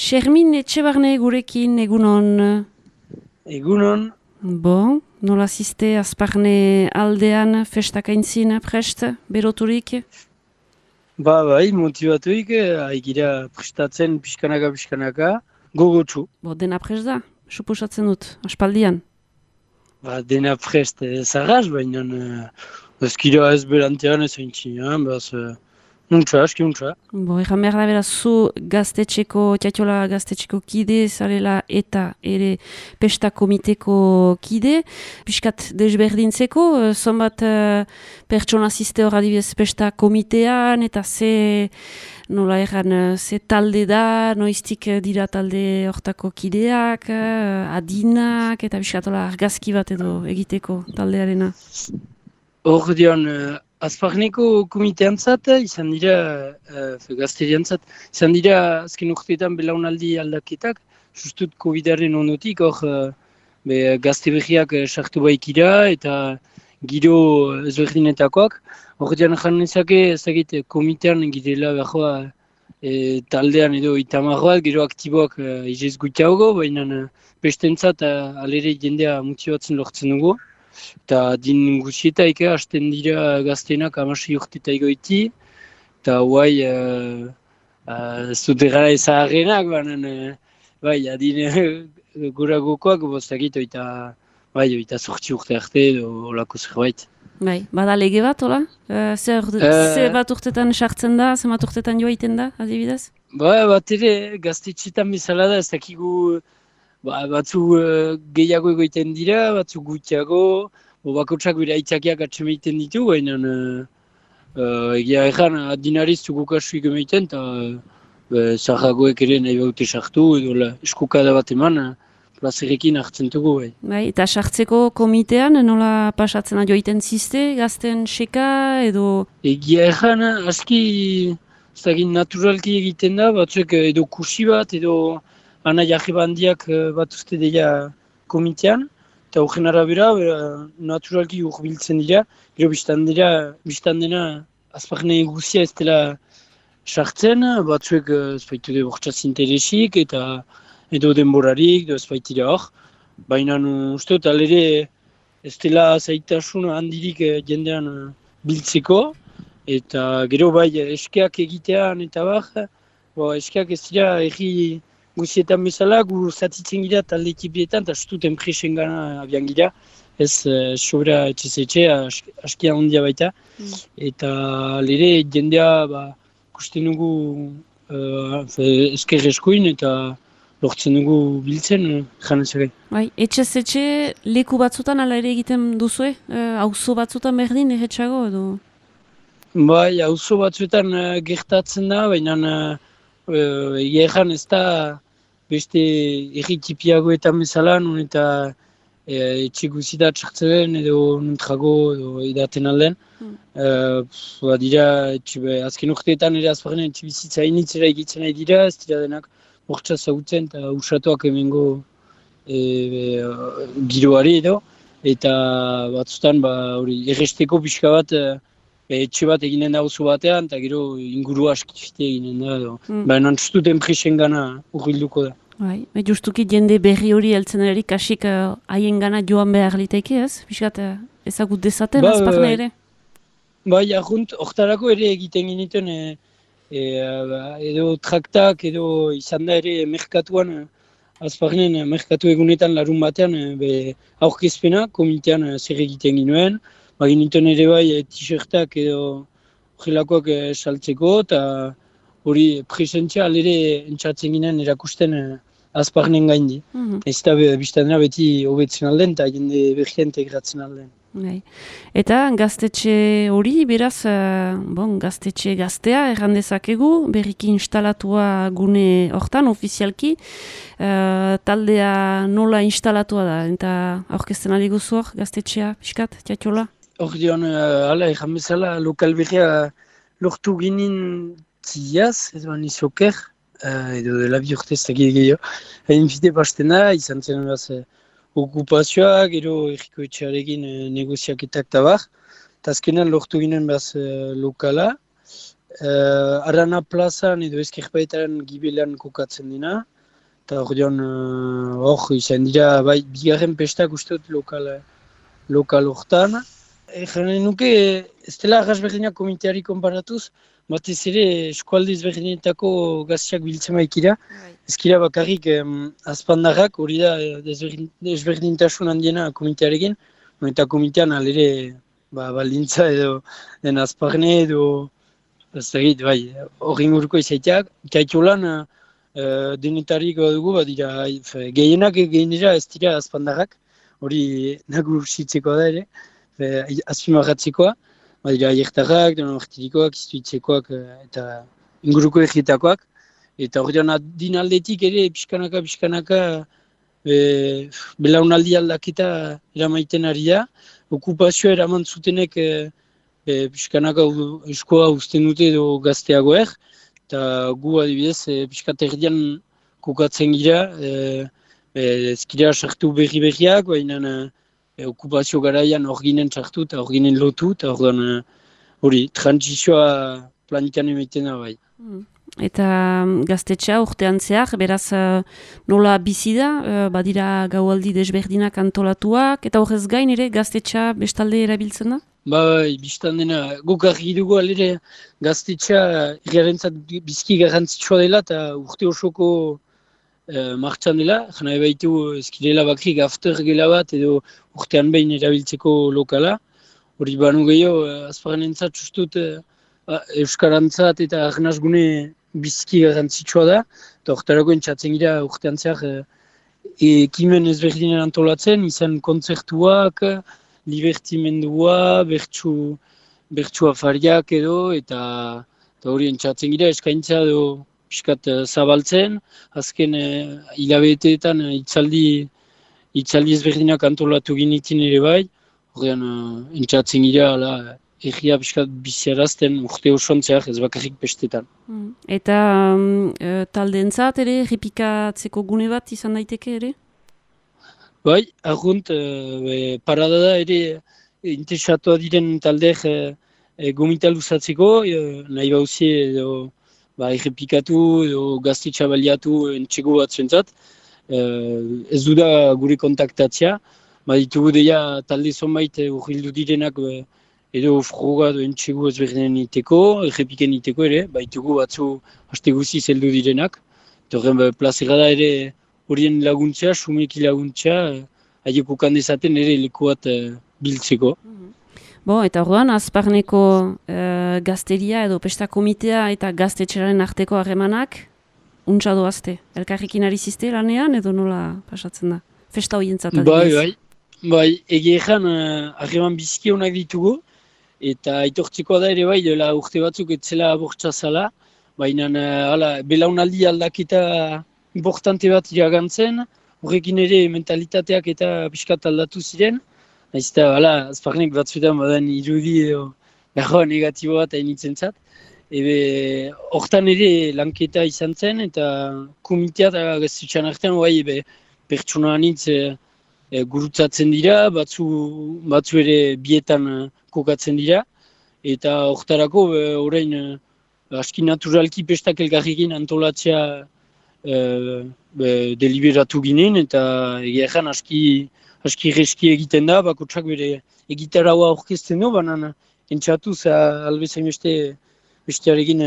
Xermin Etxebarne gurekin egunon. Egunon. Bon, nola ziste Azparne aldean festakaintzin prest, beroturik? Bai, motibatuik, haigira prestatzen pixkanaka, gogotsu. Dena prest da, suposatzen dut, aspaldian. Dena prest zarraz, baina ezkira ez berantean ez haintzinean, nuntza, aski nuntza. Egan behar da beraz, zu Tiatiola gaztetxeko kide, zarela eta ere pesta komiteko kide, piskat desberdintzeko, zonbat pertsona ziste hor adibidez pesta komitean, eta ze talde da, noiztik dira talde hortako kideak, adinak, eta piskatola argazki bat edo egiteko taldearena. Hor dion, Azparneko komiteantzat, izan dira, gazteriantzat, izan dira azken urteetan belaunaldi aldaketak, justut COVID-aren ondotik, hor gazte berriak sartu baikira eta giro ezberdinetakoak. Hor dian janezake, ezagit komitean girela behoa taldean edo itamarroak, gero aktiboak izez gutiago, baina bestentzat alere jendea motibatzen lortzen dugu. Eta din guzietaik hasten dira gaztenak 16 urteta egoiti, eta guai ez dut egara ezaharrenak, bai, adin goragokoak bostakit oita 8 urte arte edo olako zerbait. Bai, bada lege bat, hola? Ze bat urtetan sartzen da, ze bat urtetan joaiten da, adibidez? Bat ere, gaztetxetan bezala da, ez dakigu batzu gehiago egoiten dira, batzu gutiago, bakotsak bera aitzakiak atxemaiten ditu, baina egia egan adinariz gukasuik emaiten, eta zahagoek ere nahi baute sartu, edo eskukada bat eman, plazerekin hartzen dugu. Bai, eta sartzeko komitean nola pasatzen joaiten ziste, gazten seka, edo? Egia egan, aski naturalki egiten da, batzuek edo kursi bat, edo ana jarri bandiak bat uste dira komitean, eta horren arabera naturalki urbiltzen dira, gero biztan dena Azparne guzia ez dela sartzen, batzuek ez baitu de bortxaz interesik, eta edo denborarik, ez baitira hor, baina uste dut alere ez dela zaitasun handirik jendean biltzeko, eta gero bai eskeak egitean eta eskeak ez dira erri guzietan bezala, gu zatitzen gira talde ekipietan, eta estut enpresen gana abian gira, ez sobra etxe askia handia baita. Eta lere jendea kusten dugu esker eskuin eta lortzen dugu biltzen janezak. Bai, etxe leku batzutan ala ere egiten duzue? Auzo batzutan berdin erretxago edo? Bai, auzo batzuetan gertatzen da, baina egeran ez da beste erritipiagoetan bezala, nun eta etxe guzitat sartzen edo nuntrago edo edaten alden. Dira, azken urteetan ere Azparne etxe bizitza initzera egitzen nahi dira, ez dira denak bortxa zautzen eta usatuak emengo giroari edo. Eta batzutan erresteko pixka bat etxe bat eginen da oso batean, eta gero inguru askifite eginen da. Baina antustut enpresen gana urbilduko da. Bai, justuki jende berri hori heltzen erik kasik haien gana joan behar liteke ez? Piskat ezagut dezaten Azparne ere? Bai, ahunt, hortarako ere egiten giniten edo traktak edo izan da ere merkatuan, Azparnen merkatu egunetan larun batean aurkezpena, komitean zer egiten ginuen, giniten ere bai t-shirtak edo horrelakoak saltzeko, eta hori presentzia alere entzatzen ginen erakusten Azparnen gaindi. Ez da biztadena beti hobetzen alden eta jende berria integratzen alden. Eta gaztetxe hori, beraz, gaztetxe gaztea errandezakegu, berriki instalatua gune hortan, ofizialki, taldea nola instalatua da, eta aurkezten ari guzu hor, gaztetxea, piskat, Tiatiola? Hor dion, erran bezala, lokal berria lortu ginen ziaz, ez bani soker, edo dela bi urte ez dakit gehiago. Hain fite pastena, izan zen okupazioa, gero erriko etxearekin negoziaketak eta bar. Eta azkenan lortu ginen lokala, Arana plazan edo Ezkerbaetaren gibelan kokatzen dena. Eta hor izan dira, bai, bigarren pestak uste dut lokal hortan. Janen nuke, ez dela arras berdinak komiteari konparatuz, batez ere eskualde ezberdinetako gazteak biltzen baikira. Ezkira bakarrik azpandarrak, hori da ezberdintasun handiena komitearekin, eta komitean alere baldintza edo den azparne edo ez dakit, bai, hori inguruko izaiteak. Kaitolan denetariko dugu, badira, gehienak dira ez dira azpandarrak, hori nagusitzeko da ere, azpimarratzekoa, badira aiertarrak, donomartirikoak, iztuitzekoak eta inguruko egitakoak. Eta hori adin aldetik ere pixkanaka belaunaldi aldaketa eramaiten ari da. Okupazioa eraman zutenek pixkanaka eskoa uzten dute edo gazteagoek. Eta gu adibidez pixkat erdian kokatzen gira, ezkira sartu berriak, baina okupazio garaian hor ginen sartu eta hor ginen lotu, eta hori transizioa planitan emaiten da bai. Eta gaztetxea urtean zehar, beraz nola bizi da, badira gaualdi desberdinak antolatuak, eta horrez gain ere gaztetxea bestalde erabiltzen da? Bai, biztan dena, guk argi dugu alere gaztetxea irgarentzat bizki garrantzitsua dela eta urte osoko martxan dela, jana ebaitu ezkirela bakrik after gela bat edo urtean behin erabiltzeko lokala. Hori banu gehiago, azparanentzat justut euskarantzat eta arnazgune bizki garrantzitsua da, eta horretarako entzatzen gira urtean zehar ekimen ezberdinen antolatzen, izan kontzertuak, libertimendua, bertsu afariak edo, eta hori entzatzen gira eskaintza edo piskat zabaltzen, azken hilabeteetan itzaldi ezberdinak antolatu ginitin ere bai, horrean entzatzen gira egia piskat biziarazten urte osontzeak ez bakarrik bestetan. Eta taldeentzat ere, errepikatzeko gune bat izan daiteke ere? Bai, argunt, parada da ere interesatua diren taldeek gomita luzatzeko, nahi bauzie edo errepikatu edo gaztetxa baliatu entxego bat zuentzat. Ez du da gure kontaktatzea, ditugu deia talde zonbait urrildu direnak edo froga edo entxego ezberdinen iteko, errepiken iteko ere, baitugu batzu haste guziz heldu direnak. Eta horren plazera da ere horien laguntzea, sumeki laguntzea, haieko kandezaten ere leku bat biltzeko. Eta orduan, azparneko gazteria edo pesta komitea eta gaztetxeraren arteko harremanak, untsa doazte. Elkarrekin ari zizte lanean edo nola pasatzen da? Festa horientzat adibidez. Bai, egeean harreman biziki honak ditugu, eta aitortzekoa da ere bai, dela urte batzuk etzela abortza zala, baina belaunaldi aldaketa importante bat iragantzen, horrekin ere mentalitateak eta pixkat aldatu ziren, nahiz eta azparnek batzuetan badan irudi edo negatibo bat hainitzen zat. Hortan ere lanketa izan zen, eta komitea eta gaztetxean artean pertsona anitz gurutzatzen dira, batzu ere bietan kokatzen dira, eta hortarako orain aski naturalki pestak elkarrekin antolatzea deliberatu ginen, eta egia ezan aski reski egiten da, bakotsak bere egitaraua aurkezten du, baina entxatuz albezain bestearekin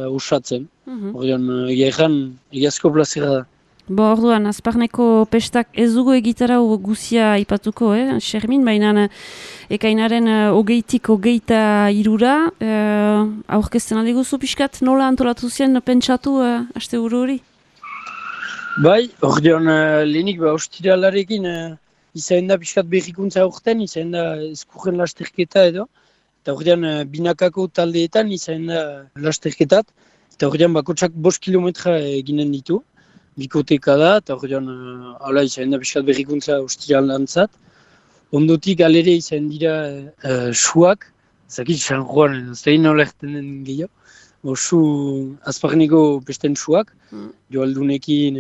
usatzen. Egia ezan egiazko plazera da. Orduan, azparneko pestak ez dugu egitarau guzia aipatuko, Xermin, baina ekainaren 20-23 aurkezten aldiguzu pixkat nola antolatu zen pentsatu asteburu hori? Bai, orduan lehenik ostiralarekin izan da pixkat berrikuntza aurten, izan da eskurren lasterketa edo, eta orduan binakako taldeetan izan da lasterketat, eta orduan bakotsak 5 kilometra eginen ditu. Bikoteka da, eta horrean izan da pixkat berrikuntza ostiralantzat. Ondotik alere izan dira suak, zakit San Juan, ez da nola erten den gehiago. Su azparneko pesten suak, joaldunekin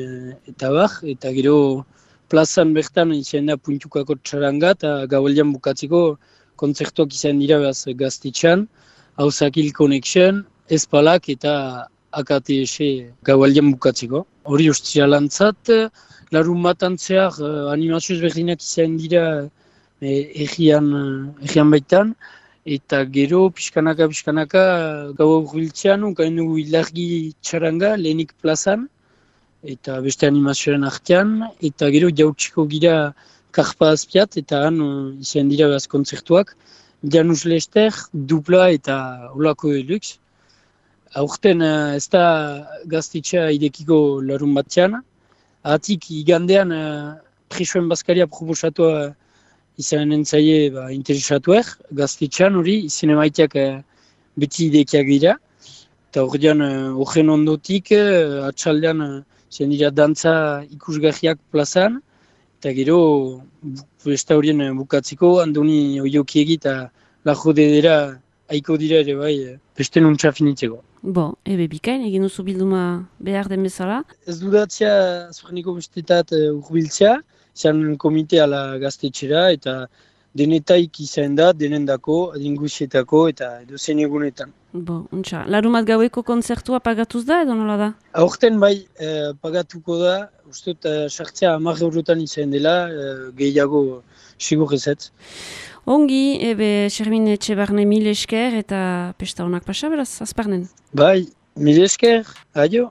eta bar, eta gero plazan bertan izan da puntukako txaranga, eta gaualdean bukatzeko kontzertuak izan dira gaztetxean, Hauzakil Connection, Espalak eta AKTS gaualdian bukatzeko. Hori ostiralantzat, larun bat antzeak animazio ezberdinak izan dira egian baitan, eta gero pixkanaka gau urbiltzean, ukain dugu ilargi txaranga lehenik plazan, eta beste animazioaren artean, eta gero jautsiko gira karpa azpiat, eta han izan dira behaz kontzertuak, Janus Lester, dupla eta olako deluxe. Aurten ez da gaztetxea idekiko larun batzean. Ahatik igandean presoen bazkaria proposatua izan entzaie interesatuak. Gaztetxean hori izan emaiteak beti idekiak dira. Eta horren ondotik atxaldean izan dira dantza ikusgarriak plazan. Eta gero besta horien bukatzeko Andoni Oiokiegi eta Lajo Dedera aiko dira ere bai beste nuntza finitzeko. Ebe bikain, egin duzu bilduma behar den bezala? Ez dudatzea azperniko bestetat urbiltzea, izan komite ala gaztetxera eta denetaik izan da, denendako, adingusietako eta edozein egunetan. Untxa, larumat gaueko kontzertua pagatuz da edo nola da? Aurten bai pagatuko da, uste sartzea 10 eurotan izan dela, gehiago sigur ezetz. Ongi, ebe Xermin Etxebarne mil esker eta pesta honak pasa beraz, azparnen. Bai, mil esker, aio.